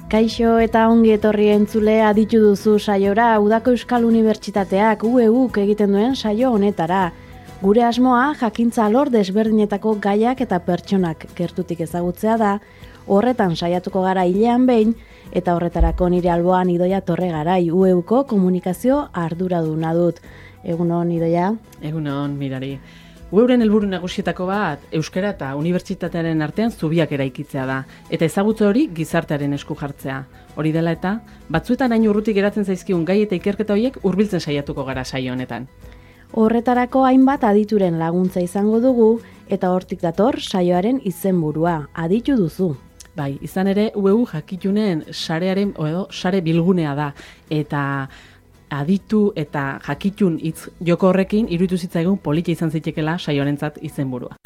Kaixo eta ongi etorri entzule aditu duzu saiora Udako Euskal Unibertsitateak UEUk egiten duen saio honetara. Gure asmoa jakintza alor desberdinetako gaiak eta pertsonak gertutik ezagutzea da, horretan saiatuko gara hilean behin, eta horretarako nire alboan Idoia Torregarai UEUko komunikazio arduraduna dut. Egunon, Idoia? Egunon, Mirari. UEUren helburu nagusietako bat euskara eta unibertsitatearen artean zubiak eraikitzea da, eta ezagutze hori gizartearen esku jartzea. Hori dela eta, batzuetan hain urrutik geratzen zaizkigun gai eta ikerketa horiek hurbiltzen saiatuko gara saio honetan. Horretarako hainbat adituren laguntza izango dugu, eta hortik dator saioaren izenburua, aditu duzu. Bai, izan ere UEU jakitunen sarearen edo sare bilgunea da, eta aditu eta jakitun hitz joko horrekin iruditu zitzaigun polita izan zitekeela saioarentzat izenburua.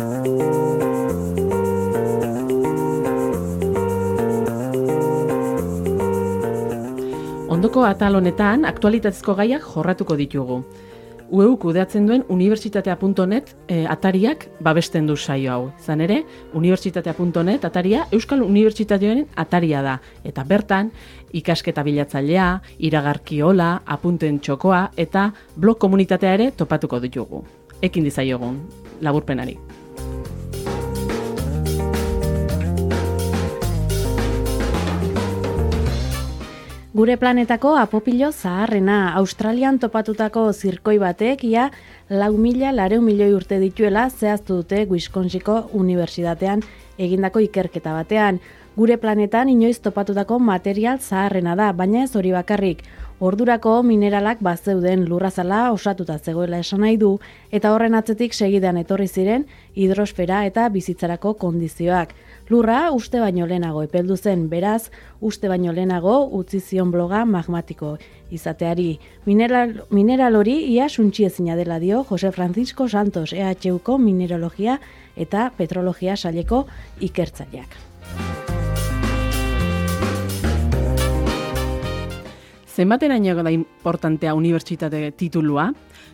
Ondoko atal honetan aktualitatezko gaiak jorratuko ditugu. UEU kudeatzen duen unibertsitatea.net atariak babesten du saio hau. Izan ere, unibertsitatea.net ataria Euskal Unibertsitatearen ataria da. Eta bertan, ikasketa bilatzailea, iragarkiola, apunten txokoa eta blog komunitatea ere topatuko ditugu. Ekin dizaiogun, laburpenari. Gure planetako apopilo zaharrena, Australian topatutako zirkoi batek ia 4.400.000 urte dituela zehaztu dute Wisconsinko Unibertsitatean egindako ikerketa batean. Gure planetan inoiz topatutako material zaharrena da, baina ez hori bakarrik. Ordurako mineralak bazeuden lurrazala osatuta zegoela esan nahi du, eta horren atzetik segidan etorri ziren hidrosfera eta bizitzarako kondizioak. Lurra uste baino lehenago epeldu zen, beraz, uste baino lehenago utzi zion bloga magmatiko izateari. Mineral hori ia suntsiezina dela dio Jose Francisco Santos, EHUko mineralogia eta petrologia saileko ikertzaileak. Zenbateraino da importantea unibertsitate titulua?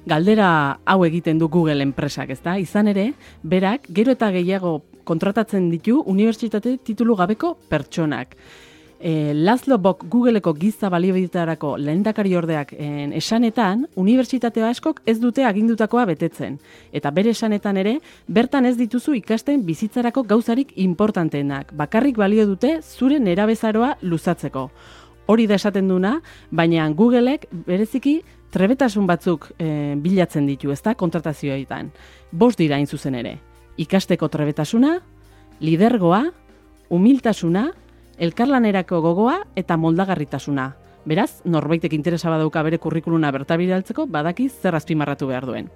Galdera hau egiten du Google enpresak, ezta? Izan ere, berak gero eta gehiago kontratatzen ditu unibertsitate titulu gabeko pertsonak. Laszlo Bock Googleeko giza balioetarako lehendakari ordeak esanetan, unibertsitatea askok ez dute agindutakoa betetzen. Eta bere esanetan ere, bertan ez dituzu ikasten bizitzarako gauzarik importanteenak. Bakarrik balio dute zure nerabezaroa luzatzeko. Hori da esaten duna, baina Googleek bereziki trebetasun batzuk bilatzen ditu, ezta, kontratazioetan. 5 dira hain zuzen ere. Ikasteko trebetasuna, lidergoa, humiltasuna, elkarlanerako gogoa eta moldagarritasuna. Beraz, norbaitek interesa badauka bere kurrikuluna bertabidaltzeko, badaki zer azpimarratu behar duen.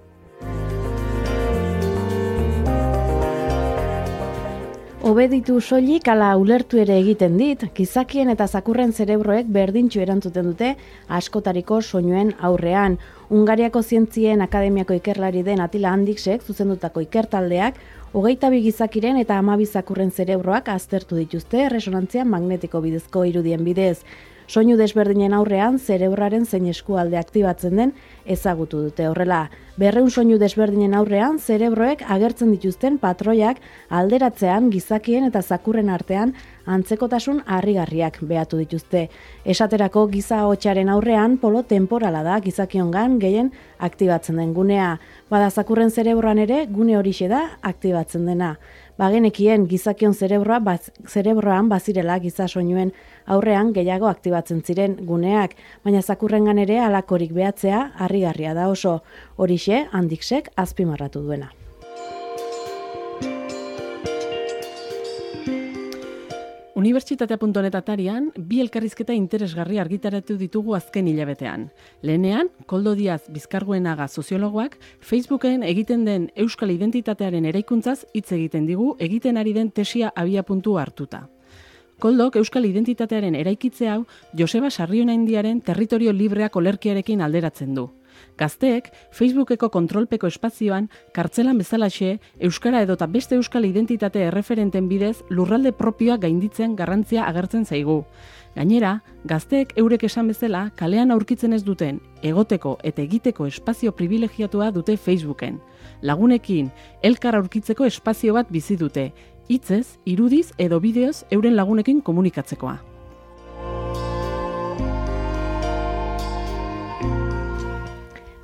Obeditu soilik ala ulertu ere egiten dit, gizakien eta zakurren zerebroek berdintxu erantzuten dute askotariko soinuen aurrean. Hungariako Zientzien Akademiako ikerlari den Atila Handiksek zuzendutako ikertaldeak 22 gizakiren eta 12 zakurren zerebroak aztertu dituzte erresonantzia magnetiko bidezko irudien bidez. Soinu desberdinen aurrean zerebraren zein eskualde aktibatzen den ezagutu dute horrela. 200 soinu desberdinen aurrean zerebroek agertzen dituzten patroiak alderatzean gizakien eta zakurren artean antzekotasun harrigarriak behatu dituzte. Esaterako giza ahotsaren aurrean polo temporala da gizakiongan gehien aktibatzen den gunea. Bada zakurren zerebroan ere gune horixe da aktibatzen dena. Bagenekien gizakion zerebroan bazirela giza soinuen aurrean gehiago aktibatzen ziren guneak, baina zakurrengan ere halakorik behatzea harrigarria da oso. Horixe Handiksek azpimarratu duena. Unibertsitatea.net atarian, 2 elkarrizketa interesgarri argitaratu ditugu azken hilabetean. Lehenean, Koldo Diaz Bizkarguenaga soziologoak Facebooken egiten den euskal identitatearen eraikuntzaz hitz egiten digu egiten ari den tesia abiapuntu hartuta. Koldok euskal identitatearen eraikitze hau Joseba Sarrionaindiaren territorio libreak olerkiarekin alderatzen du. Gazteek Facebookeko kontrolpeko espazioan kartzelan bezalaxe euskara edota beste euskal identitate erreferenten bidez lurralde propioa gainditzen garrantzia agertzen zaigu. Gainera, gazteek eurek esan bezala kalean aurkitzen ez duten egoteko eta egiteko espazio privilegiatua dute Facebooken. Lagunekin elkar aurkitzeko espazio bat bizi dute, hitzez, irudiz edo bideoz euren lagunekin komunikatzekoa.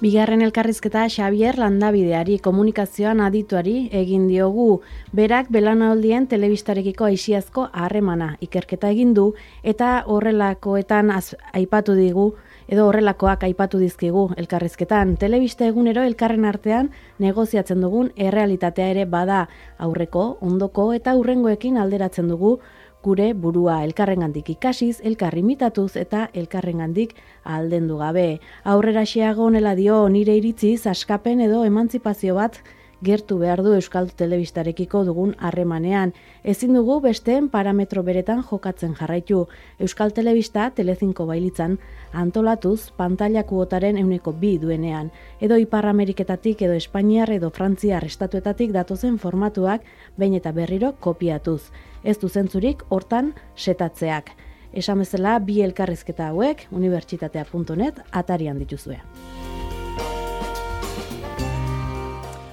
Bigarren elkarrizketa Xabier Landabideari, komunikazioan adituari egin diogu. Berak belaunaldien telebistarekiko aixiazko harremana ikerketa egin du eta horrelakoetan aipatu digu edo horrelakoak aipatu dizkigu elkarrizketan. Telebista egunero elkarren artean negoziatzen dugun errealitatea ere bada, aurreko, ondoko eta hurrengoekin alderatzen dugu gure burua, elkarrengandik ikasiz, elkar imitatuz eta elkarrengandik aldendu gabe. Aurrera xeago honela dio, nire iritziz askapen edo emantzipazio bat gertu behar du Euskal Telebistarekiko dugun harremanean. Ezin dugu besteen parametro beretan jokatzen jarraitu. Euskal Telebista Telecinco bailitzan antolatuz pantaila kuotaren 2% duenean. Edo Ipar Ameriketatik edo Espainiar edo Frantziar estatuetatik datozen formatuak behin eta berriro kopiatuz. Ez du zentzurik hortan setatzeak. Esan bezala bi elkarrizketa hauek unibertsitatea.net atarian dituzue.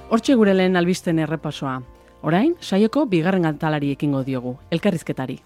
Hortxe gure lehen albisten errepasoa. Orain, saioko bigarren atalari ekingo diogu, elkarrizketari.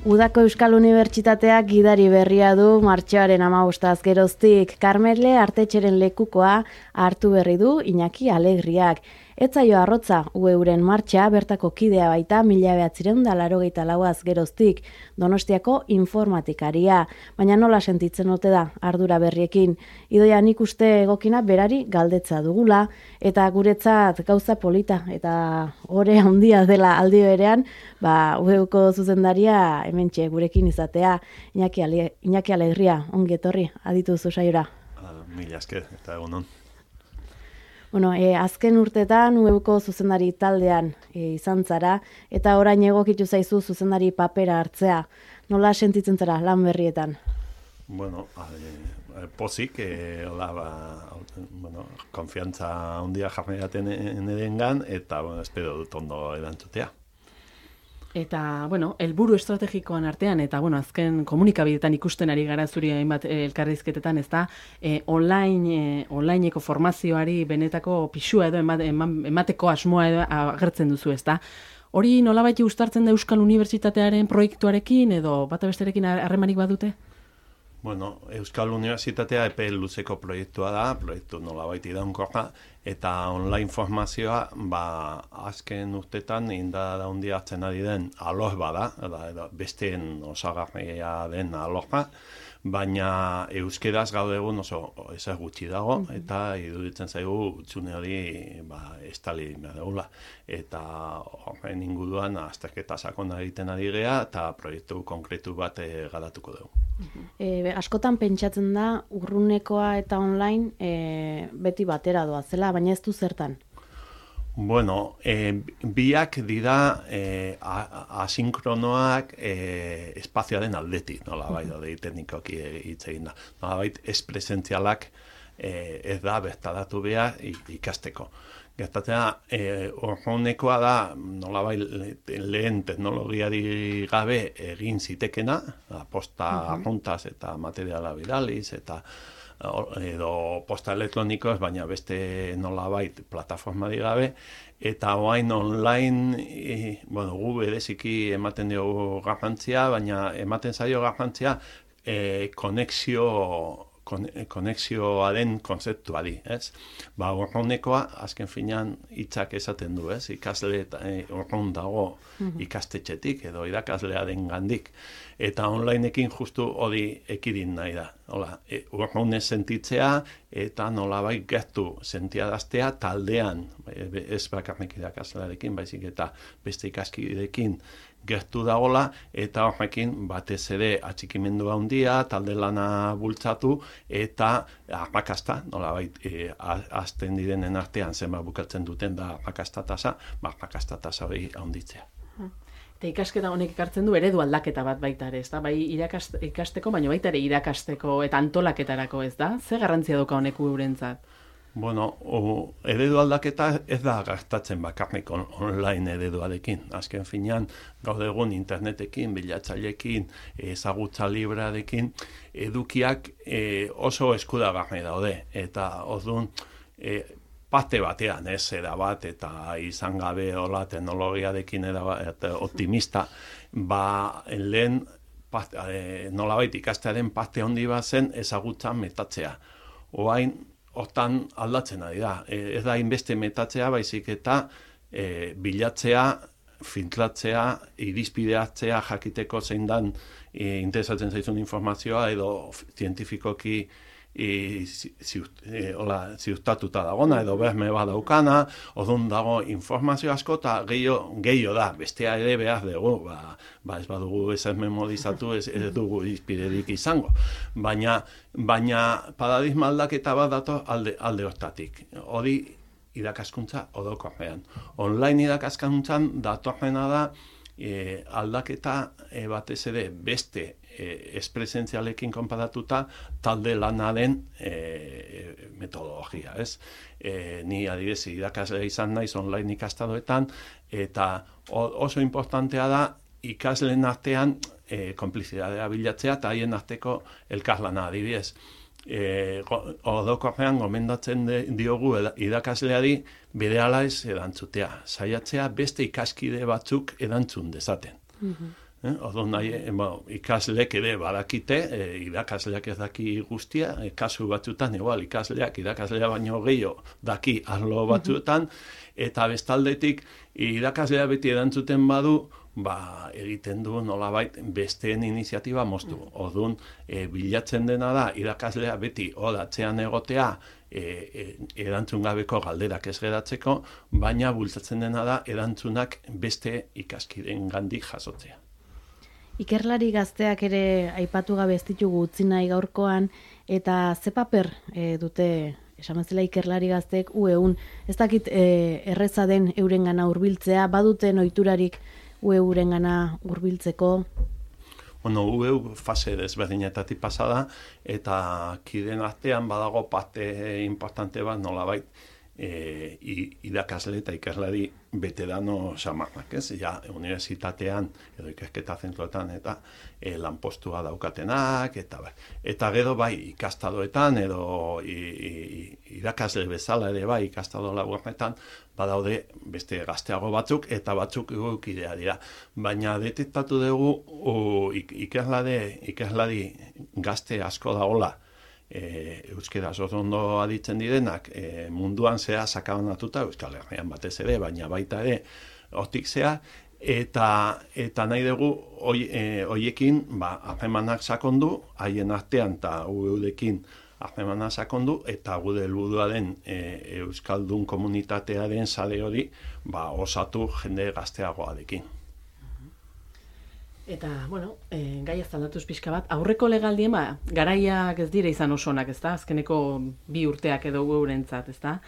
Udako Euskal Unibertsitateak gidari berria du martxoaren 15 geroztik. Karmele Artetxeren lekukoa hartu berri du Iñaki Alegriak. Ez zaio arrotza UEuren martxa bertako kidea baita 1984 geroztik, Donostiako informatikaria. Baina nola sentitzen ote da ardura berriekin. Idoia nik uste egokina berari galdetza dugula, eta guretzat gauza polita eta ore handia dela aldi berean, UEuko zuzendaria hementxe gurekin izatea. Iñaki Alegria, ongi etorri, aditu zu saiora. Mila esker, eta egunon. Bueno, azken urtetan UEuko zuzendari taldean izan zara, eta orain egokitu zaizu zuzendari papera hartzea. Nola sentitzen zara lan berrietan? Bueno, pozik, konfiantza handia jarri erengan, eta espero dut ondo erantzutea. Eta, helburu estrategikoan artean, eta, azken komunikabidetan ikusten ari gara zuri hainbat elkarrizketetan, ez da, onlineko formazioari benetako pixua edo emateko asmoa edo agertzen duzu, ez da. Hori nolabait uztartzen da Euskal Unibertsitatearen proiektuarekin edo bata besterekin harremanik badute? Bueno, Euskal Unibertsitatea epe luzeko proiektua da, proiektu nolabait iraunkorra, eta online formazioa, azken urtetan inda handia hartzen ari den alor bada, besteen osagarria den alorra, baina euskeraz gaur egun oso ezer gutxi dago, eta iruditzen zaigu utzune hori estali behar. Eta horren inguruan azterketa sakona egiten ari gea, eta proiektu konkretu bat garatuko dugu. Askotan pentsatzen da urrunekoa eta online beti batera doazela, baina ez du zertan? Bueno, biak dira asinkronoak espazioaren aldetik, nolabait, teknikoki hitz egin da. Nolabait, ez-presentzialak ez da bertaratu behar ikasteko. Gertatzea, urrunekoa da, nolabait, lehen teknologiari gabe egin zitekena, posta juntaz eta materiala bidaliz, eta edo posta elektronikoz, baina beste nolabait plataforma gabe, eta orain online, gu bereziki ematen diogu garrantzia, baina ematen zaio garrantzia konexioaren konzeptuari, ez? Urrunekoa, azken finean hitzak esaten du, ez? Ikasle urrun dago ikastetxetik edo irakaslearen gandik. Eta onlineekin justu hori ekidin nahi da. Urrunez sentitzea eta nolabait gertu sentiaraztea taldean, ez bakarrik irakaslearekin, baizik eta beste ikaskideekin gertu dagola, eta horrekin batez ere atxikimendu handia, talde lana bultzatu, eta arrakasta, nolabait azten direnen artean zenbat bukatzen duten da arrakasta tasa, arrakasta tasa hori handitzea. Eta ikasketa honek ekartzen du eredu aldaketa bat baita ere, ez da? Bai ikasteko, baina baita ere irakasteko eta antolaketarako, ez da? Ze garrantzia dauka honek eurentzat? Bueno, eredu aldaketa ez da gertatzen bakarrik online ereduarekin. Azken finean, gaur egun internetekin, bilatzailekin, ezagutza librearekin, edukiak oso eskudagarri daude. Eta orduan, parte batean, erabat, eta izan gabe hola teknologiarekin erabat optimista, lehen nolabait ikastearen parte handi bat zen ezagutza metatzea. Orain, hortan aldatzen ari da. Ez da inbeste metatzea, baizik eta bilatzea, filtratzea, irizpideatzea jakiteko zein dan interesatzen zaizun informazioa edo zientifikoki ziurtatuta dagona edo berme bat daukana, orduan dago informazio asko eta gehiago da, bestea ere behar dugu, ez badugu ez memodizatu, ez dugu irizpiderik izango. Baina paradigma aldaketa bat dator alde hortatik. Hori irakaskuntza orokorrean. Online irakaskuntzan datorrena da aldaketa batez ere beste espresentzialekin konparatuta talde lanaren metodologia, ez? Ni adibidez irakasle izan naiz online ikastaroetan eta oso importantea da ikasleen artean konplizidadea bilatzea eta haien arteko elkarlana adibidez. Orokorrean gomendatzen diogu irakasleari berehala ez erantzutea, saiatzea beste ikaskide batzuk erantzun dezaten. Orduan ikaslek ere badakite, irakasleak ez daki guztia, kasu batzutan igual ikasleak irakaslea baino gehiago daki arlo batzuetan, eta bestaldetik irakaslea beti erantzuten badu, egiten du nolabait besteen iniziatiba moztu. Orduan, bilatzen dena da irakaslea beti atzean egotea, erantzun gabeko galderak ez geratzeko, baina bultzatzen dena da erantzunak beste ikaskideen gandik jasotzea. Ikerlari gazteak ere aipatu gabe ez ditugu utzi nahi gaurkoan, eta ze paper dute esan bezala ikerlari gazteek UEUn, ez dakit erreza den eurengana hurbiltzea, baduten ohiturarik UEUrengana hurbiltzeko? Bueno, UEU fase desberdinetatik pasada, eta kideen artean badago parte importante bat nolabait irakasle eta ikerlari veterano samarrak, ez? Ja, unibertsitatean edo ikerketa zentroetan eta lanpostua daukatenak, eta gero bai ikastadoetan edo irakasle bezala ere bai ikastado laburretan badaude beste gazteago batzuk eta batzuk kidea dira. Baina detektatu dugu ikerlari gazte asko dagoela euskeraz ondo aditzen direnak munduan zea sakabanatuta Euskal Herrian batez ere, baina baita ere hortik zea, eta nahi dugu hoiekin harremanak sakondu, haien artean eta UEUrekin harremanak sakondu, eta gude helburua den Euskaldun komunitatearen sare hori osatu jende gazteagoarekin. Eta, bueno, gai ez aldatuz pixka bat, aurreko legaldien, garaiak ez dira izan oso onak, ez da? Azkeneko 2 urteak edo geurentzat, ez da?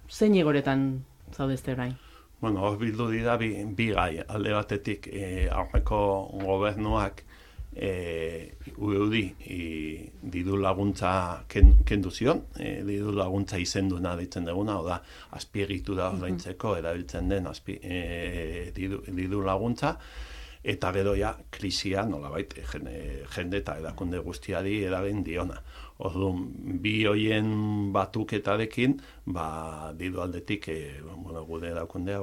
Zein egoretan zaudezte orain? Bueno, hor bildu dira bi gai, alde batetik aurreko gobernuak UEUdi diru laguntza kendu zion, diru laguntza izenduna deitzen duguna, oda azpiegitura ordaintzeko erabiltzen den diru laguntza, eta gero ja krisia nolabait jende eta erakunde guztiari eragin diona. Orduan, bi hoien batuketarekin, diru aldetik, gude erakundea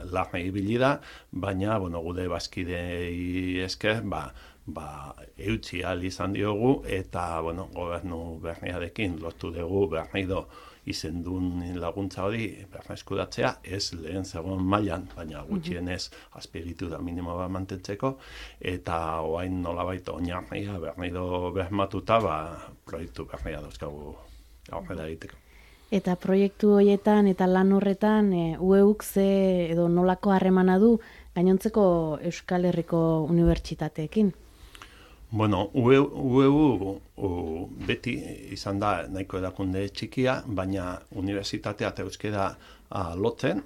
larra ibili da, baina gude bazkidei esker, eutzi ahal izan diogu, eta gobernu berriarekin lotu dugu berrido izendun laguntza hori berreskuratzea, ez lehen zegoen mailan, baina gutxienez azpiegitura minimo bat mantentzeko, eta orain nolabait oinarria berrido bermatuta, proiektu berria dauzkagu aurrera egiteko. Eta proiektu horietan eta lan horretan UEUk ze edo nolako harremana du gainontzeko Euskal Herriko unibertsitateekin? Bueno, UEU beti izan da nahiko erakunde txikia, baina unibertsitatea eta euskera lotzen,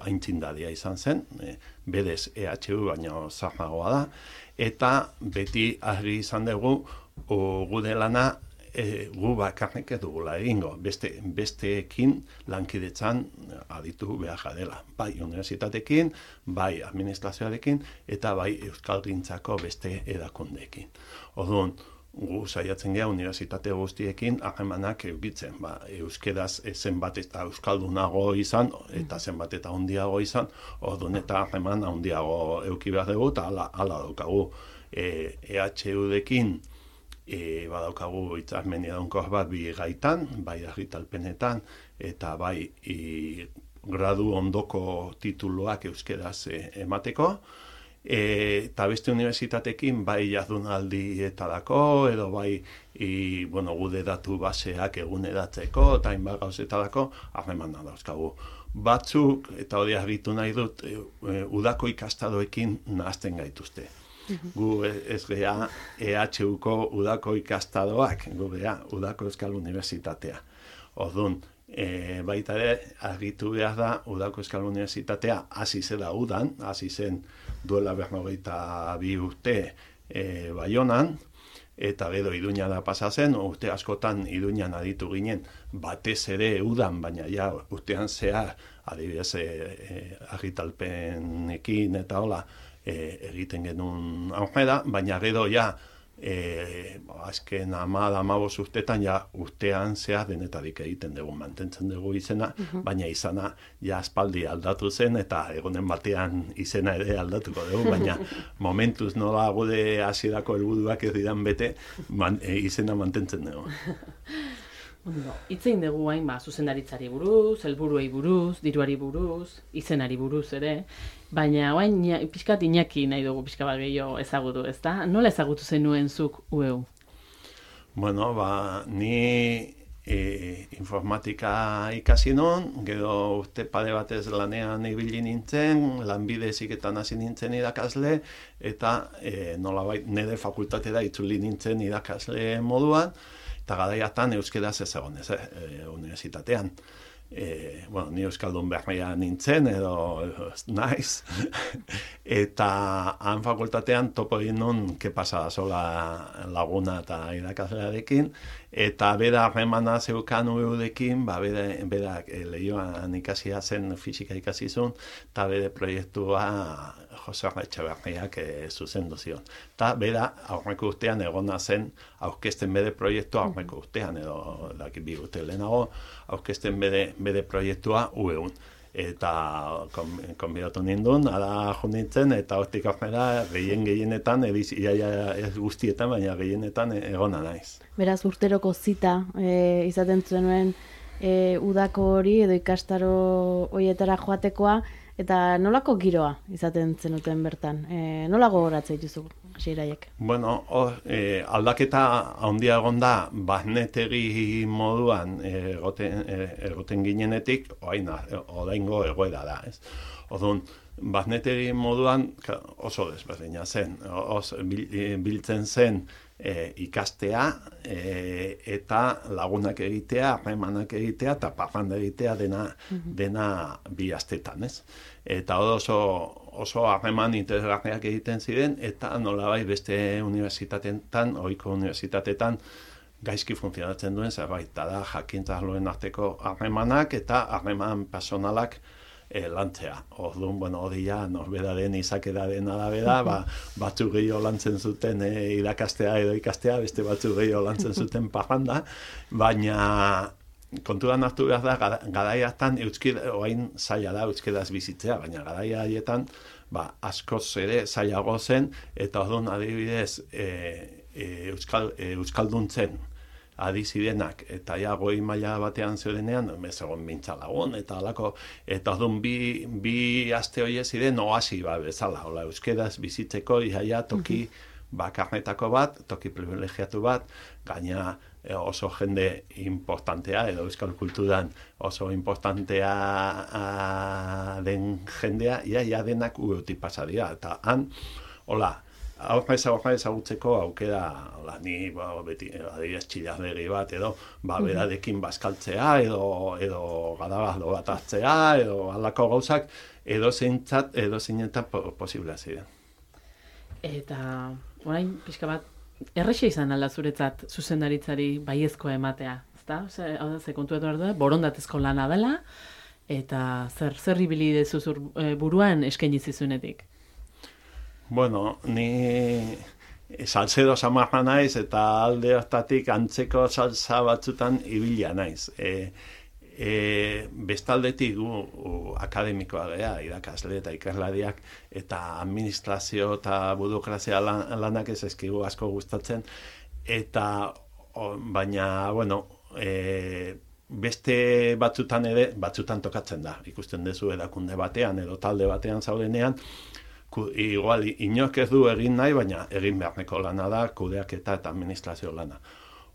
aintzindaria izan zen, berez EHU baina zarragoa da, eta beti argi izan dugu gude lana gu bakarrik edugula egingo, besteekin lankidetzan aditu behar jadela. Bai universitatekin, bai administrazioarekin, eta bai euskalgintzako beste edakundeekin. Orduan, gu saiatzen gea unibertsitate guztiekin harremanak eukitzen. Euskeraz zenbat eta euskaldunago izan, eta zenbat eta handiago izan, orduan eta harreman handiago euki behar dugu, eta hala daukagu EHU-dekin badaukagu hitzarmen iraunkor bat bi gaitan, bai argitalpenetan, eta bai gradu ondoko tituluak euskeraz emateko, eta beste unibertsitatekin bai jardunaldietarako edo bai gude datu baseak eguneratzeko eta hainbat gauzetarako harremana dauzkagu. Batzuk, eta hori argitu nahi dut, udako ikastaroekin nahazten gaituzte. Gu ez gea EHUko udako ikastaroak, gu gea udako Euskal Unibertsitatea. Orduan, baita ere, argitu behar da, udako Euskal Unibertsitatea hasi zela udan, hasi zen duela 42 urte Baionan, eta gero Iruñara pasa zen, urte askotan Iruñan aditu ginen, batez ere udan, baina ja urtean zehar, adibidez argitalpenekin eta hola, egiten genuen aurrera, baina gero ja azken 15 urtetan ja urtean zehar denetarik egiten dugu, mantentzen dugu izena, baina izana ja aspaldi aldatu zen eta egunen batean izena ere aldatuko dugu, baina momentuz nola gure hasierako helburuak ez diran bete, izena mantentzen dugu. Itzein dugu hain zuzendaritzari buruz, helburuei buruz, diruari buruz, izenari buruz ere, baina hain pixkat Iñaki nahi dugu pixka bat gehiago ezagutu, ezta? Nola ezagutu zenuen zuk UEU? Bueno, ni informatika ikasi non, gero urte pare batez lanean ibili nintzen, lanbide heziketan hasi nintzen irakasle, eta nolabait nire fakultatera itzuli nintzen irakasle moduan, eta garaiatan euskeraz ez egon unibertsitatean. Ni euskaldun berria nintzen, edo naiz, eta han fakultatean topo egin nun ke pasada sola laguna eta irakaslearekin, eta bera harremana zeukan UEU-dekin, berak lehioan ikasia zen, fisika ikasi zuen, eta bere proiektua Jose Etxeberriak zuzendu zion. Eta bera aurreko urtean egona zen aurkezten bere proiektua aurreko urtean, edo bi urte lehenago, aurkezten bere proiektua UEUn. Eta konbidatu nindun, ara junitzen, eta hortik aurrera gehienetan, ez guztietan, baina gehienetan egona naiz. Beraz, urteroko zita izaten zenuen udako hori edo ikastaro horietara joatekoa, eta nolako giroa izaten zenuten bertan? Nola gogoratzen dituzu hasieraiek? Bueno, aldaketa handia egon da, barnetegi moduan egoten ginenetik, oraingo egoera da, ez? Orduan, barnetegi moduan oso desberdina zen, biltzen zen ikastea eta lagunak egitea, harremanak egitea eta parranda egitea dena bi astetan, ez? Eta oso harreman interesgarriak egiten ziren eta nolabait beste unibertsitateetan, ohiko unibertsitateetan gaizki funtzionatzen duen zerbait, da jakintza arloen arteko harremanak eta harreman personalak lantzea. Orduan, hori ja, norberaren izakeraren arabera, batzuk gehiago lantzen zuten irakastea edo ikastea, beste batzuk gehiago lantzen zuten parranda, baina kontuan hartu behar da, garaiatan orain zaila da euskeraz bizitzea, baina garai haietan askoz ere zailago zen, eta orduan adibidez euskalduntzen adi zirenak, eta ja goi maila batean zeudenean, egon mintza lagun, eta alako, eta orduan bi aste horiek ziren oasi bezala, euskeraz bizitzeko iaia toki bakarnetako bat, toki privilegiatu bat, gaina oso jende importantea, edo euskal kulturan oso importantea den jendea, ia denak UEUtik pasa dira, eta han, hola, aurrez ezagutzeko aukera, ni beti adibidez txillardegi bat, edo berarekin bazkaltzea, edo garabazlo bat hartzea, edo halako gauzak, edo zeinetan posiblea ziren. Eta orain pixka bat errexe izan alda zuretzat zuzendaritzari baiezkoa ematea, ezta? Hau da, ze kontu behar da, borondatezko lana dela, eta zer ibili dezu buruan eskaini zizunetik? Bueno, ni salsero samarra naiz eta alde hortatik antzeko salsa batzutan ibilia naiz. Bestaldetik gu akademikoa gea, irakasle eta ikaslariak, eta administrazio eta burokrazia lanak ez eskigu asko gustatzen, eta baina, bueno, beste batzutan ere, batzutan tokatzen da, ikusten dezu erakunde batean edo talde batean zaudenean, igual, inork ez du egin nahi, baina egin beharneko lana da, kudeaketa eta administrazio lana.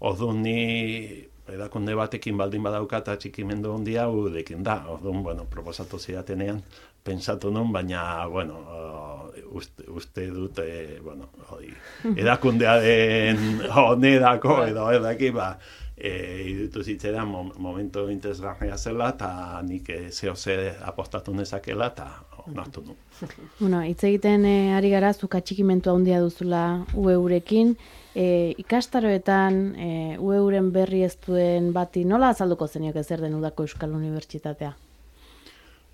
Orduan ni erakunde batekin baldin badauka eta txikimendu handia gurekin da. Orduan, bueno, proposatu zidatenean, pentsatu nun, baina, bueno, uste dut, bueno, erakundearen onerako edo edaki, irutu zitzera momentu interesgarria zela, eta nik zehose apostatu nezakela, eta onartu nun. Bueno, hitz egiten ari gara, zuka txikimentua handia duzula UEurekin, ikastaroetan UEuren berri ez duen bati nola azalduko zeniok zer den Udako Euskal Unibertsitatea?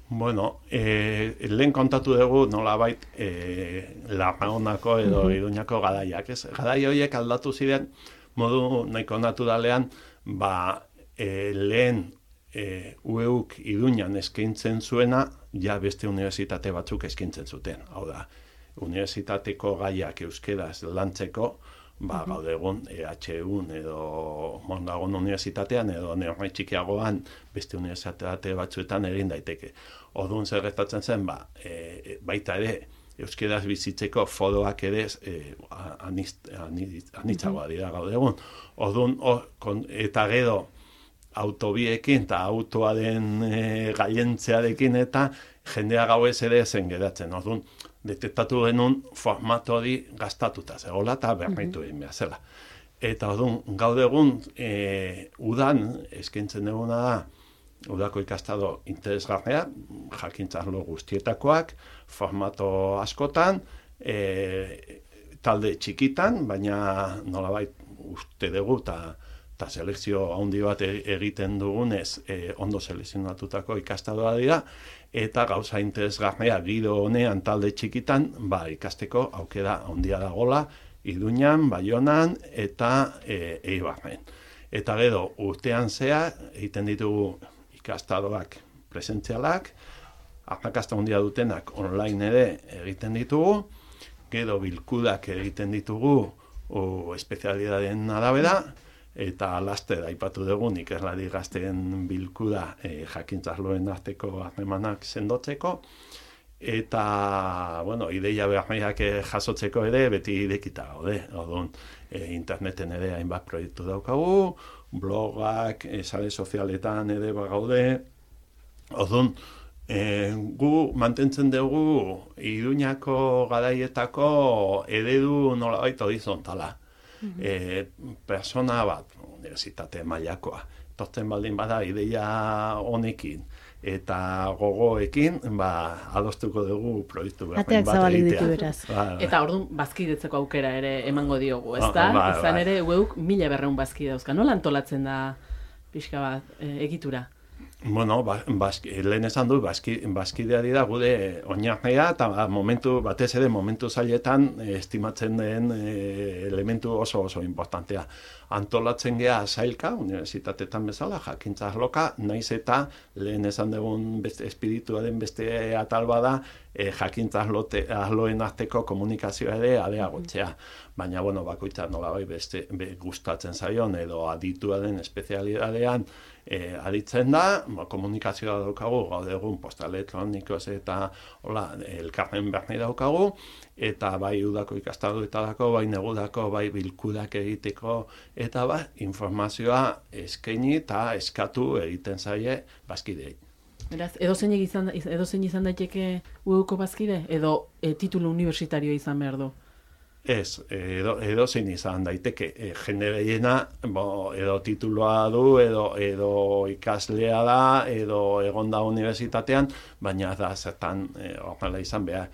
Bueno, lehen kontatu dugu nolabait Larraonako edo Iruñako garaiak, ez? Garai horiek aldatu ziren modu nahiko naturalean, lehen UEuk Iruñan eskaintzen zuena, ja beste unibertsitate batzuk eskaintzen zuten. Hau da, unibertsitateko gaiak euskeraz lantzeko, gaur egun EHUn edo Mondragon unibertsitatean edo neurri txikiagoan beste unibertsitate batzuetan egin daiteke. Orduan zer gertatzen zen, baita ere, euskeraz bizitzeko foroak ere anitzagoa dira gaur egun. Orduan, eta gero, autobiekin eta autoaren gaientzearekin eta jendea gauez ere zen geratzen. Orduan, detektatu genuen formato hori gastatuta zegoela eta berritu egin behar zela. Eta orduan, gaur egun, udan eskaintzen duguna da, Udako ikastaro interesgarria, jakintzarlo guztietakoak, formato askotan, talde txikitan, baina nolabait uste dugu eta selekzio handi bat egiten dugunez ondo selekzionatutako ikastaroa dira, eta gauza interesgarria giro honean talde txikitan, ikasteko aukera handia dagola, Iruñan, Baionan eta Eibarren. Eta gero, urtean zehar, egiten ditugu ikastaroak presentzialak, arrakasta handia dutenak online ere egiten ditugu, gero bilkudak egiten ditugu espezialitateen arabera, eta laster aipatu dugu ikerlari gazteen bilkuda jakintzarloen arteko harremanak sendotzeko, eta, bueno, ideia berriak jasotzeko ere beti irekita gaude. Orduan, interneten ere hainbat proiektu daukagu, blogak, sare sozialetan ere gaude. Orduan, gu mantentzen dugu Iruñako garaietako eredu nolabait horizontala. Persona bat, unibertsitate mailakoa, tortzen baldin bada ideia honekin eta gogoekin, adostuko dugu proiektu bat ateak zabalik ditu beraz. Eta orduan bazkidetzeko aukera ere emango diogu, ezta? Izan ere, UEuk 1200 bazkide dauzka. Nola antolatzen da pixka bat egitura? Bueno, lehen esan du, bazkidea dira gude oinarria eta batez ere momentu zailetan estimatzen den elementu oso importantea. Antolatzen gea sailka, unibertsitatetan bezala, jakintza arloka, naiz eta lehen esan dugun espirituaren beste atal bada, jakintza arloen arteko komunikazioa ere areagotzea. Baina, bueno, bakoitza nolabait beste gustatzen zaion edo adituaren espezialitatean aditzen da, komunikazioa daukagu, gaur egun posta elektronikoz eta elkarren berni daukagu, eta bai udako ikastaroetarako, bai negudako, bai bilkudak egiteko, eta informazioa eskaini eta eskatu egiten zaie bazkideei. Beraz, edozein izan daiteke UEuko bazkide, edo titulu universitarioa izan behar du? Ez, edozein izan daiteke, jende gehiena edo tituloa du, edo ikaslea da, edo egon da unibertsitatean, baina da zertan horrela izan behar.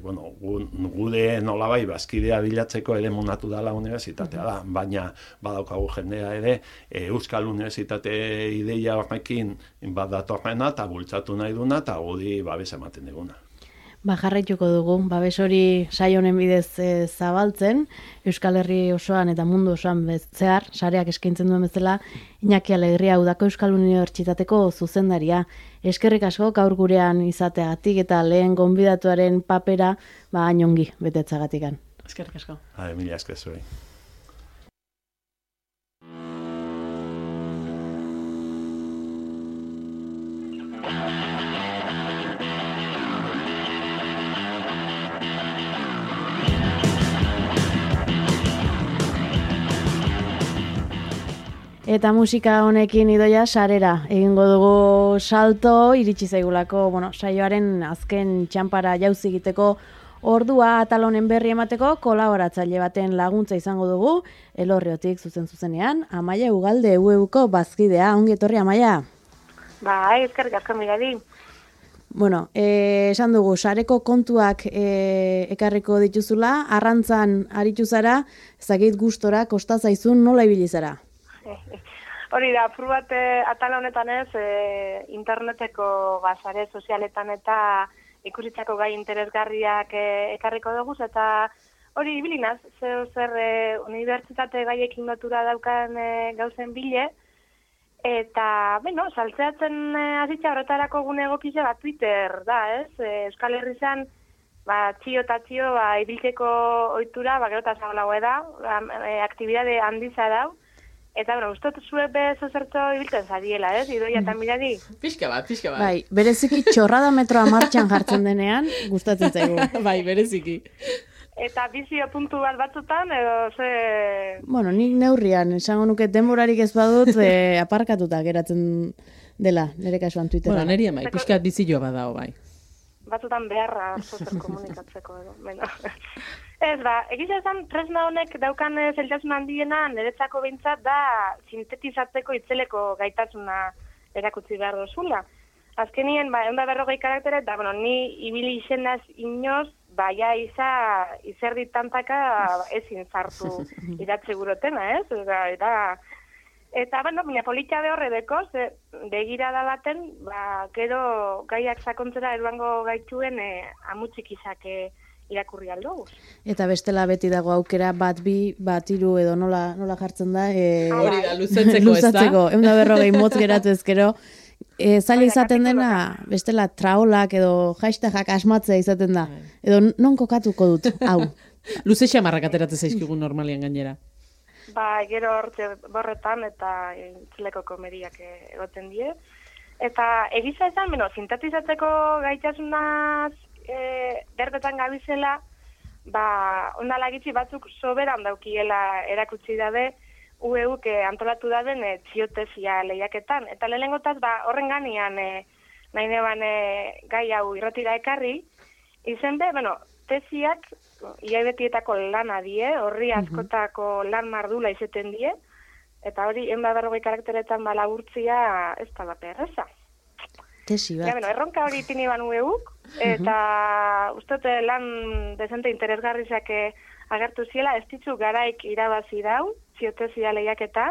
gude nolabai bazkidea bilatzeko ere munatu dela unibertsitatea da, baina badaukagu jendea ere Euskal Unibertsitate ideia horrekin badatorrena eta bultzatu nahi duna eta gudi babes ematen diguna. Jarraituko dugu, babes hori saio honen bidez zabaltzen, Euskal Herri osoan eta mundu osoan zehar, sareak eskaintzen duen bezala, Iñaki Alegria Udako Euskal Unibertsitateko zuzendaria. Eskerrik asko gaur gurean izateagatik eta lehen gonbidatuaren papera hain ongi betetzagatikan. Eskerrik asko. Mila esker zuei. Eta musika honekin idoia sarera. Egingo dugu salto, iritsi zaigulako, saioaren azken txanpara jauzi egiteko ordua atal honen berri emateko kolaboratzaile baten laguntza izango dugu, Elorriotik zuzenean, Amaia Ugalde UEUko bazkidea. Ongi etorri, Amaia? Eskerrik asko Mirari. Esan dugu, sareko kontuak ekarriko dituzula, arrantzan aritu zara, ezagit gustora, kosta zaizun, nola ibili zara? Hori da, apur bat atal honetan interneteko sare sozialetan eta ikusitzako gai interesgarriak ekarriko dugu, eta hori ibilinaz, zer unibertsitate gaiekin lotura daukan gauzen bile, eta, saltzeatzen azitza horretarako gune egokize Twitter da, Euskal Herrizan, txio eta txio, ibiltzeko ohitura, gero eta zabalago da, aktibidade handiza dau, eta, ustot zuek zozertzo ibiltzen zadiela, Idoia eta Mirari? Pixka bat. Bai, bereziki txorrada metroa martxan jartzen denean, gustatzen zaigu. Bai, bereziki. Eta bizio puntu bat batzutan, edo ze... Nik neurrian, esango nuke denborarik ez badut, aparkatuta geratzen dela, nire kasuan Twitteran. Neri amai, pixkat bizioa badao, bai. Batzutan beharra zozer komunikatzeko, edo. Ez, egiza esan, tresna honek daukan zeltasun handiena niretzako behintzat da sintetizatzeko itzeleko gaitasuna erakutsi behar dozula. Azkenien, 140 karaktere, eta, ni ibili izenaz inoz, izerdi tantaka ezin zartu idatze gurotena, Eta, baina politia behorre deko, begirada baten, gero gaiak sakontzera eruango gaituen amutxik izake irakurri aldugu. Eta bestela beti dago aukera bat bi, bat hiru edo nola jartzen da. Hori da, luzatzeko ez da. 140 motz geratu ezkero. Zaila izaten dena, bestela traolak edo hashtagak asmatzea izaten da. Edo non kokatuko dut, hau. Luze xamarrak ateratzen zaizkigun normalian gainera. Gero hortze borretan eta entzuleko komediak egoten die. Eta egiza esan, sintetizatzeko gaitasunaz berbetan gabizela, ondalagitzi batzuk soberan daukiela erakutsi dabe, UEUk antolatu daben txiotesia lehiaketan. Eta lehenengotaz, horren ganian nahi neban gai hau irratira ekarri, izen tesiak iaibetietako lana die, horri askotako lan mardula izeten die, eta hori 140 karakteretan laburtzia ez da bat erreza. Tesi bat. Erronka hori ipini ban UEUk, eta ustote lan dezente interesgarrizak agertu ziela, ez ditzu garaik irabazi dau, txiotesia lehiaketa,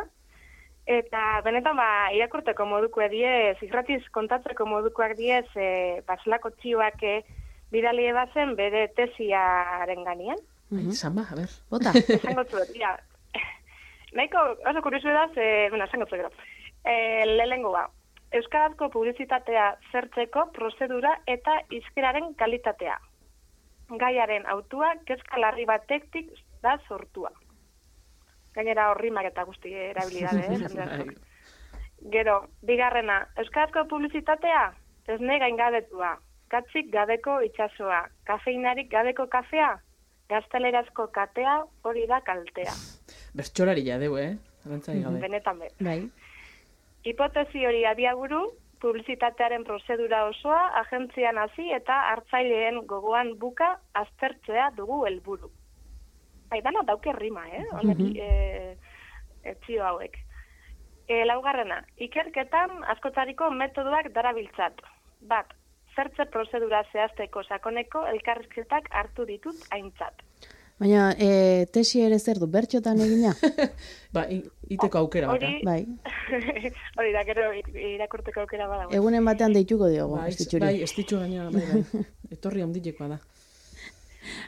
eta benetan irakurteko modukoa diez, irratiz kontatzeko modukoak diez, zelako txioak bidali ebazen bere tesiaren ganian. Zamba, a ber, bota. Esango zuet, nahiko oso kurisu edaz, esango zuet gero. Lehengo Euskarazko publizitatea zertzeko prozedura eta izkeraren kalitatea. Gaiaren autua kezka larri batektik da sortua. Gainera horrimak eta guzti erabilidade, Gero, bigarrena, Euskarazko publizitatea esne gaingabetua, katzik gabeko itsasoa, kafeinarik gabeko kafea, gaztelerazko katea hori da kaltea. Bertxolari jadeu, Benetan be. Bai. Hipotesi hori abiaburu, publizitatearen prozedura osoa, agentzian hasi eta hartzaileen gogoan buka aztertzea dugu helburu. Dana dauke rima, txio hauek. Laugarrena, ikerketan askotariko metodoak darabiltzat. Bat, zertze prozedura zehazteko sakoneko elkarrizketak hartu ditut aintzat. Baina, tesi ere zer du, bertxotan egina? Ba, iteko aukera baka. Bai. Hori da, gero irakurteko aukera badago. Egunen batean deituko diogu, Bai, estitxuri. bai, estitxu gaina, bai. Etorri handilekoa da.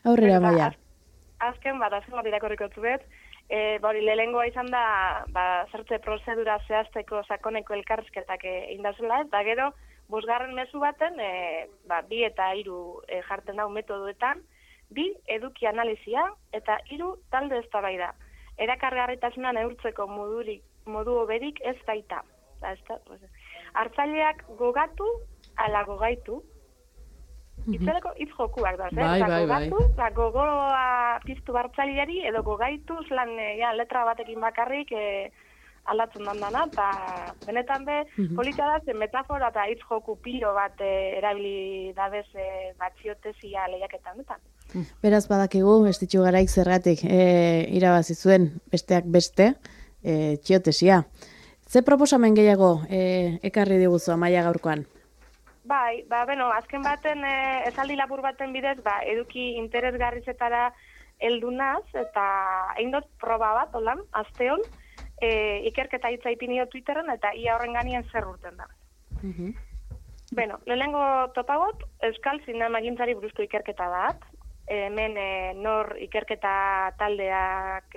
Aurrera, maia. Azken bat irakurriko zuet. Hori, lehengoa izan da, zertze prozedura zehazteko sakoneko elkarrizketak indazula ez, da gero, bosgarren mezu baten, 2 eta 3 jartzen dau metodoetan, 2 eduki analizia eta 3 talde eztabaida. Erakargarritasuna neurtzeko modu hoberik ez baita. Hartzaileak gogatu ala gogaitu. Itzerako hitz jokuak da, gogatu, gogoa piztu hartzaileari edo gogaitu lan letra batekin bakarrik aldatzen dana, eta benetan polita da, metafora eta hitz joku pilo bat erabili dabez batxiotesia lehiaketan dutan. Beraz badakigu, estitxu garaik zergatik irabazi zuen besteak beste, txiotesia. Ze proposamen gehiago ekarri diguzu Amaia gaurkoan? Bai, azken baten, esaldi labur baten bidez, eduki interesgarrizetara heldu naz, eta egin dut proba bat, holan, asteon, ikerketa hitza ipinio Twitterren, eta ia horren ganien zer urten da. Lehenengo topagot, Euskal Zinemagintzari buruzko ikerketa bat, hemen nor ikerketa taldeak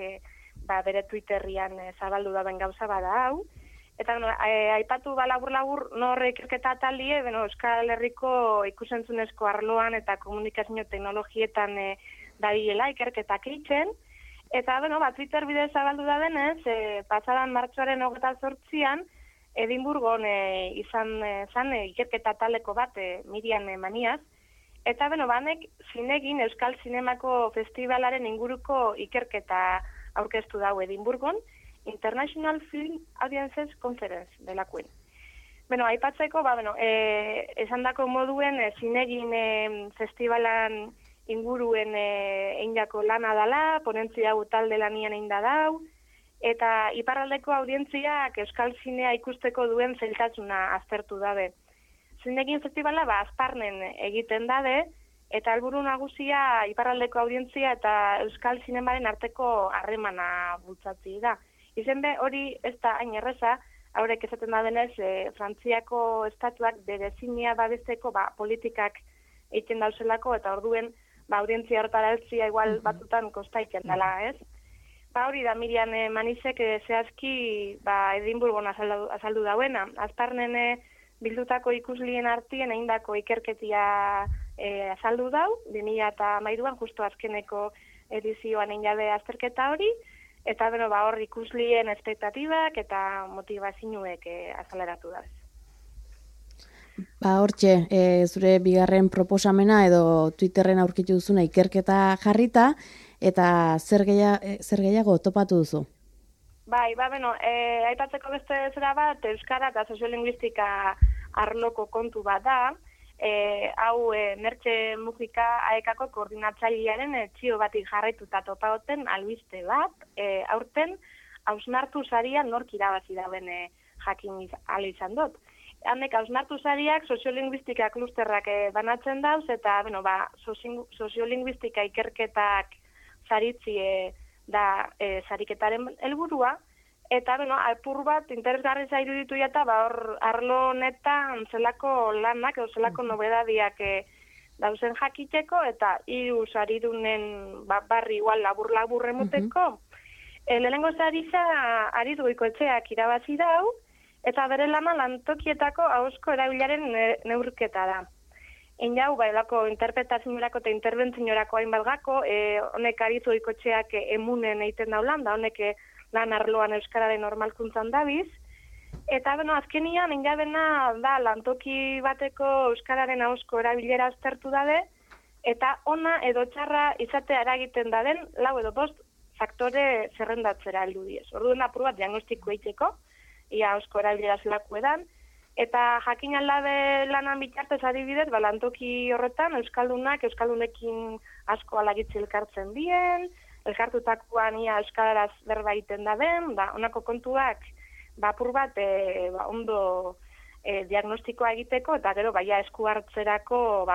bere Twitterrian zabaldu daben gauza bada hau, eta aipatu labur-labur nor ikerketa taldie, Euskal Herriko ikusentzunezko arloan eta komunikazio teknologietan dabilela ikerketak eitzen, eta Twitter bidez zabaldu da denez, pasadan martxoaren 28an, Edinburgon izan zan ikerketa taldeko bat Miriam Maniaz, eta banek zinegin Euskal Zinemako Festivalaren inguruko ikerketa aurkeztu dau Edinburgon, International Film Audiences Conference delakoen. Aipatzeko, esandako moduen zinegin festivalan inguruen eindako lana dala, ponentzia hau talde lanian einda dau, eta iparraldeko audientziak Euskal Zinea ikusteko duen zailtasuna aztertu dabe. Zinegin festivala Azparnen egiten dabe, eta helburu nagusia iparraldeko audientzia eta Euskal Zinemaren arteko harremana bultzatzi da. Izen hori ez da hain erreza, haurek esaten da denez, Frantziako estatuak bere zinea babesteko politikak egiten dauzelako, eta orduen audientzia hortara eltzia igual batutan kostaiken dela, ez? Hori da Miriam Manizek zehazki Edinburgon azaldu dauena. Azparnen bildutako ikuslien artien eindako ikerketia azaldu dau, 2013an justo azkeneko edizioan eindabe azterketa hori, eta hor ikuslien espektatibak eta motivazioek azaleratu da. Hortxe, zure bigarren proposamena edo Twitterren aurkitu duzuna ikerketa jarrita, eta zer gehiago topatu duzu? Aipatzeko beste zera bat, Euskara eta Soziolinguistika arloko kontu bat da, hau Mertxe Mujika AEKako koordinatzailearen txio batik jarraituta topagoten albiste bat, aurten hausnartu saria nork irabazi dauen jakin ala izan dut. Hanek hausnartu sariak soziolinguistika klusterrak banatzen dauz, eta soziolinguistika ikerketak saritzi da sariketaren helburua, eta apur bat interesgarri zairu ditu eta hor arlo honetan zelako lanak edo zelako nobedadiak dauzen jakiteko, eta 3 saridunen barri igual labur emoteko. Lehenengo sarisa Aritz Goikoetxeak irabazi dau, eta bere lana lantokietako ahozko erabilaren neurketa da. Jau, elako interpretaziorako eta interventziorako hainbat gako, honek Aritz Goikoetxeak emunen egiten daulan, da honek lan arloan euskararen normalkuntzan dabiz, eta azkenian engabena da lantoki bateko euskararen ahozko erabilera aztertu dabe, eta ona edo txarra izatea eragiten daden 4 edo 5 faktore zerrendatzera heldu diez. Orduan apur bat diagnostiko eiteko, ia ahozko erabilera zelako edan, eta jakin aldabe lanan bitartez adibidez, lantoki horretan euskaldunekin asko alagitzi elkartzen dien, elkartutakoan ia euskaraz berba egiten da den, honako kontuak apur bat ondo diagnostikoa egiteko, eta gero baia esku hartzerako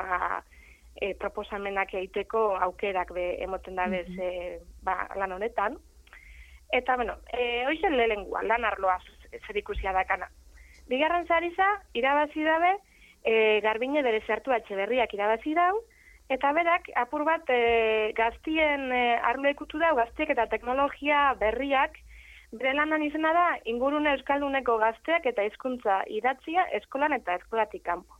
proposamenak egiteko aukerak emoten dabez lan honetan. Eta, hoizen lehenengua, lan arloaz zer ikusia dakana. Bigarren zariza, irabazi dabe, Garbine Berezertu Etxeberriak irabazi dau, eta berak, apur bat, gaztien arlo ikutu dau, gaztiek eta teknologia berriak, bere lanan izena da, ingurune euskalduneko gazteak eta hizkuntza idatzia eskolan eta eskolatik kanpo.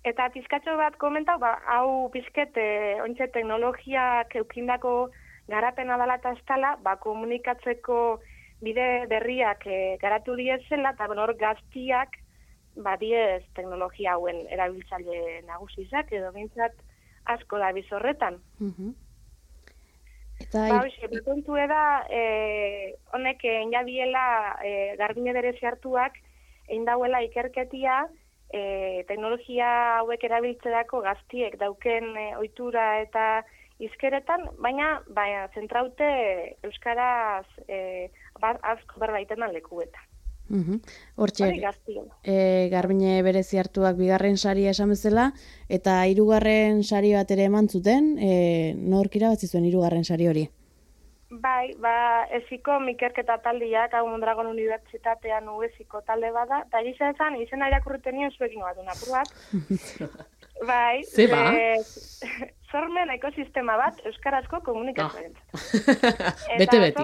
Eta pizkatxo bat komentau, hau pizket, ontsa teknologiak eukindako garapena dela eta estala, komunikatzeko bide berriak garatu diezela, eta hor gaztiak, diez teknologia hauen erabiltzaile nagusizak, edo bintzat asko da bizorretan. Betontu da, honek inabiela Garbine Berezertuak eindauela ikerketia, teknologia hauek erabiltzerako gaztiek dauken ohitura eta izkeretan, baina zentraute euskaraz asko berbaitenan lekuetan. Hortxe, Garbine Berezertuak bigarren saria esan bezala, eta hirugarren sari bat ere eman zuten, nork irabazi zuen hirugarren sari hori? Bai, eziko ikerketa taldiak, hau Mondragon Unibertsitatean eziko talde bada, eta gisa esan, izena irakurriten nien zuekin bat apur bat. Bai, sormen ekosistema bat euskarazko komunikazioaren. Bete-beti.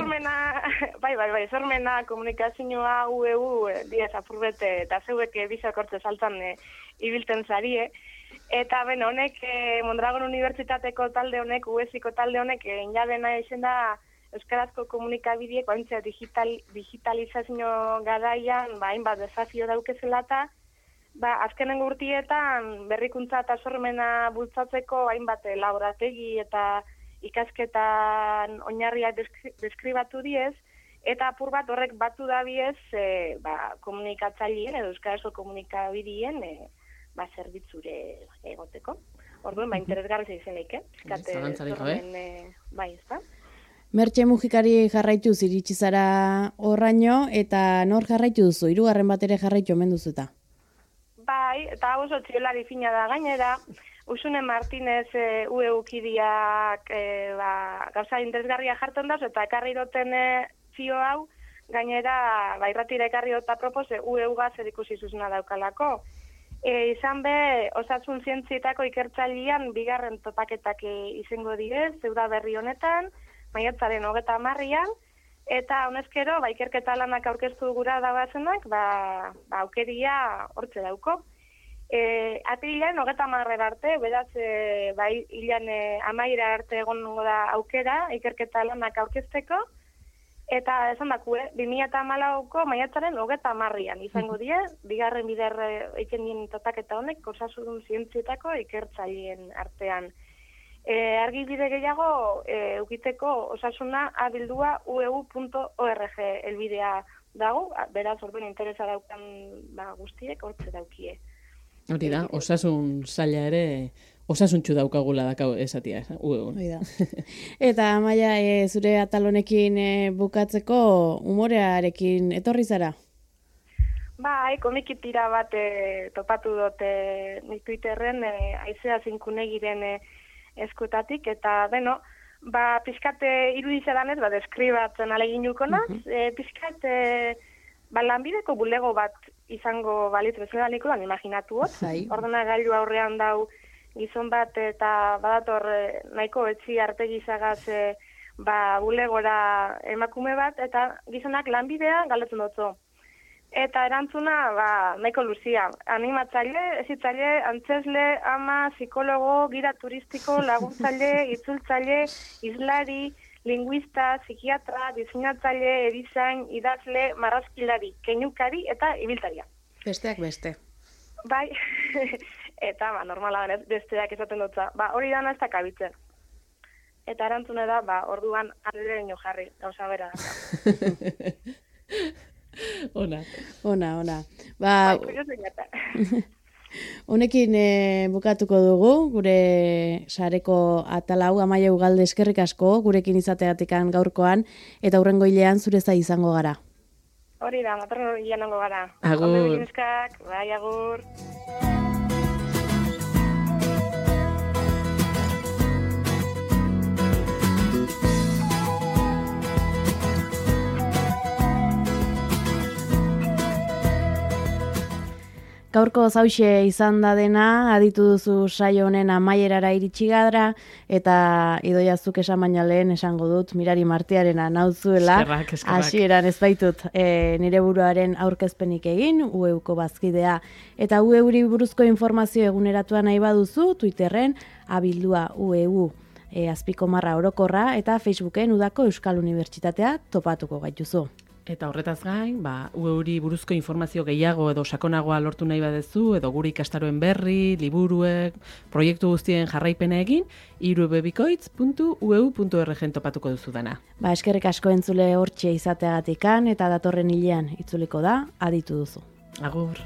Sormena komunikazioa UEU diez apurbete eta zeuek bizakortze saltan ibilten zarie. Eta honek Mondragon Unibertsitateko talde honek, UEziko talde honek, inabena izen da euskarazko komunikabideek, digitalizazio garaian, hainbat desafio daukezela eta, azkenengo urtietan berrikuntza eta sormena bultzatzeko hainbat laborategi eta ikasketan oinarriak deskribatu diez, eta apur bat horrek batu dabiez komunikatzaileen edo euskarazko komunikabideen zerbitzure egoteko. Orduan, interesgarri izenik, Zalantzarik gabe. Bai, ez da? Mertxe Mujikari jarraitu iritsi zara horraino, eta nor jarraitu duzu? Hirugarren bat ere jarraitu omen duzu eta? Bai, eta oso txiolari fina da gainera, Usune Martinez UEU-kidiak gauza interesgarria jartzen dauz, eta ekarri doten zio hau, gainera, irratira ekarri dota propos, UEU-gaz ikusi zuzena daukalako. Izan be, osasun zientzietako ikertzailean bigarren topaketak izango direz, zeuda berri honetan, maiatzaren 30an, eta honezkero, ikerketa lanak aurkeztu gura dabazenak, aukeria hortze dauko. Apirilean 30 arte, beraz, hilan amaira arte egon da aukera, ikerketa lanak aurkezteko, eta esan daku, 2014ko maiatzaren 30an izango die, bigarren bider eiken totaketa honek, osasun zientzietako ikertzaileen artean. Argibide gehiago eukiteko osasuna abildua ueu.org elbidea dago, beraz orduan interesa daukan guztiek hortze daukie. Hori da, osasun zaila ere osasuntxu daukagula dakau esatia, UEU. Eta Amaia, zure atal honekin bukatzeko umorearekin etorri zara? Bai, komikitira bat topatu dute nik Twitterren Aizea Zinkunegiren eskutatik, eta pizkate irudizadanez, deskribatzen aleginuko naz, pizkate lanbideko bulego bat izango balitz bezala nikoan imaginatu hot. Ordenagailu aurrean dau gizon bat eta badator nahiko etzi artegizagaz bulegora emakume bat, eta gizonak lanbidea galdetzen dutzu. Eta erantzuna nahiko luzia. Animatzaile, ezitzaile, antzesle, ama, psikologo, gira turistiko, laguntzaile, itzultzaile, izlari, linguista, psikiatra, diseinatzaile, erizain, idazle, marrazkilari, keinukari eta ibiltaria. Besteak beste. Bai, eta normala denez, besteak esaten dutza. Hori dana ez da kabitzen. Eta erantzune da, orduan arrereño jarri, gauza bera. Ona. Honekin bukatuko dugu, gure sareko atalau, Amaia Ugalde eskerrik asko, gurekin izateatikan gaurkoan, eta hurrengo hilean zure zai izango gara. Hori da, datorren janango gara. Agur. Ondo egin eskak, bai, agur. Gaurko zauxe izan da dena, aditu duzu saio honen amaierara iritsi gara, eta Idoiazuk esan baina lehen esango dut, Mirari Martiarena nauzuela, Eskerrak. hasieran ez baitut nire buruaren aurkezpenik egin, UEuko bazkidea, eta UEuri buruzko informazio eguneratua nahi baduzu, Twitterren abildua UEU azpiko marra orokorra, eta Facebooken udako Euskal Unibertsitatea topatuko gaituzu. Eta horretaz gain, UEuri buruzko informazio gehiago edo sakonagoa lortu nahi badezu, edo gure ikastaroen berri, liburuek, proiektu guztien jarraipena egin, irubebikoitz.ueu.org topatuko duzu dana. Eskerrik asko entzule hortxe izateagatikan, eta datorren hilean itzuliko da, aditu duzu. Agur.